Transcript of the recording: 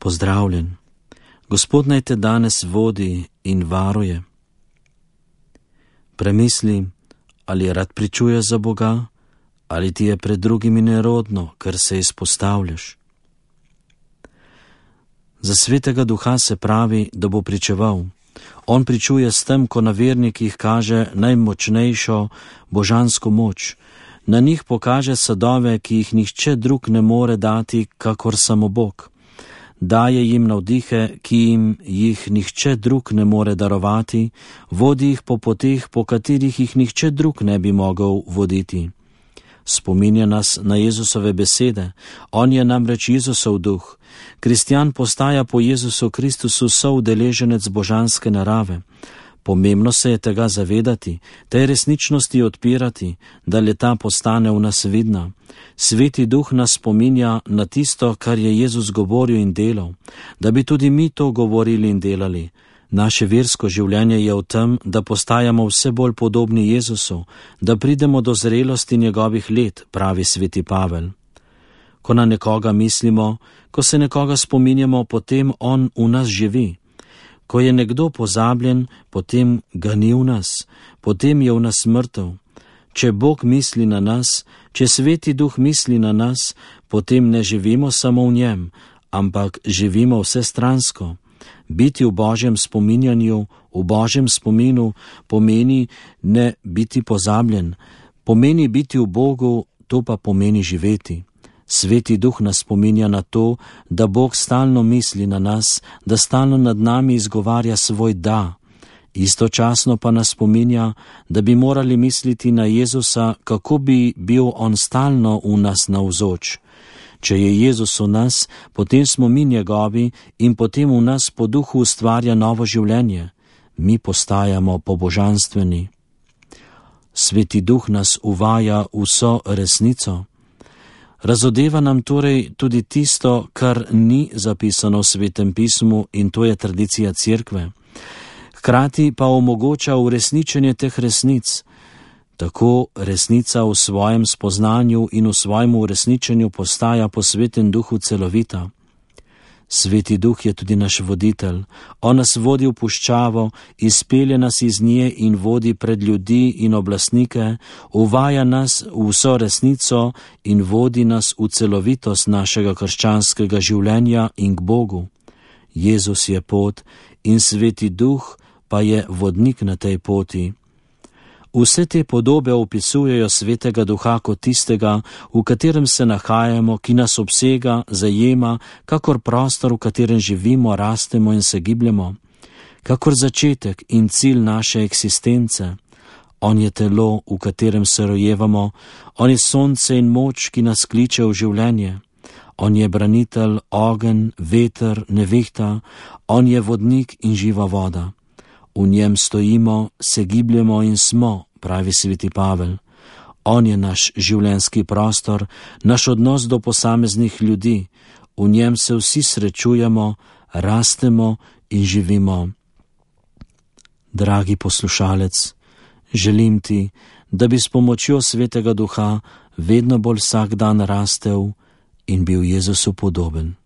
Pozdravljen. Gospod naj te danes vodi in varuje. Premisli, ali rad pričuješ za Boga, ali ti je pred drugimi nerodno, ker se izpostavljaš. Za Svetega Duha se pravi, da bo pričeval. On pričuje s tem, ko na vernikih kaže najmočnejšo božansko moč. Na njih pokaže sadove, ki jih nihče drug ne more dati, kakor samo Bog. Daje jim navdihe, ki jim jih nihče drug ne more darovati, vodi jih po poteh, po katerih jih nihče drug ne bi mogel voditi. Spominja nas na Jezusove besede, on je namreč Jezusov duh. Kristjan postaja po Jezusu Kristusu soudeleženec božanske narave. Pomembno se je tega zavedati, tej resničnosti odpirati, da le ta postane v nas vidna. Sveti Duh nas spominja na tisto, kar je Jezus govoril in delal, da bi tudi mi to govorili in delali. Naše versko življenje je v tem, da postajamo vse bolj podobni Jezusu, da pridemo do zrelosti njegovih let, pravi sveti Pavel. Ko na nekoga mislimo, ko se nekoga spominjamo, potem on v nas živi. Ko je nekdo pozabljen, potem ga ni v nas, potem je v nas mrtev. Če Bog misli na nas, če Sveti Duh misli na nas, potem ne živimo samo v njem, ampak živimo vsestransko. Biti v Božjem spominjanju, v Božjem spominu pomeni ne biti pozabljen, pomeni biti v Bogu, to pa pomeni živeti. Sveti Duh nas spominja na to, da Bog stalno misli na nas, da stalno nad nami izgovarja svoj da. Istočasno pa nas spominja, da bi morali misliti na Jezusa, kako bi bil on stalno v nas navzoč. Če je Jezus v nas, potem smo mi njegovi in potem v nas po duhu ustvarja novo življenje. Mi postajamo pobožanstveni. Sveti Duh nas uvaja vso resnico. Razodeva nam torej tudi tisto, kar ni zapisano v Svetem pismu, in to je tradicija Cerkve. Hkrati pa omogoča uresničenje teh resnic. Tako resnica v svojem spoznanju in v svojem uresničenju postaja po Svetem Duhu celovita. Sveti Duh je tudi naš voditelj. On nas vodi v puščavo, izpelje nas iz nje in vodi pred ljudi in oblastnike, uvaja nas v vso resnico in vodi nas v celovitost našega krščanskega življenja in k Bogu. Jezus je pot in Sveti Duh pa je vodnik na tej poti. Vse te podobe opisujejo Svetega Duha kot tistega, v katerem se nahajamo, ki nas obsega, zajema, kakor prostor, v katerem živimo, rastemo in se gibljemo, kakor začetek in cilj naše eksistence. On je telo, v katerem se rojevamo, on je sonce in moč, ki nas kliče v življenje. On je branitelj, ogenj, veter, nevihta, on je vodnik in živa voda. V njem stojimo, se gibljemo in smo, pravi sveti Pavel. On je naš življenjski prostor, naš odnos do posameznih ljudi. V njem se vsi srečujemo, rastemo in živimo. Dragi poslušalec, želim ti, da bi s pomočjo Svetega Duha vedno bolj vsak dan rastel in bil Jezusu podoben.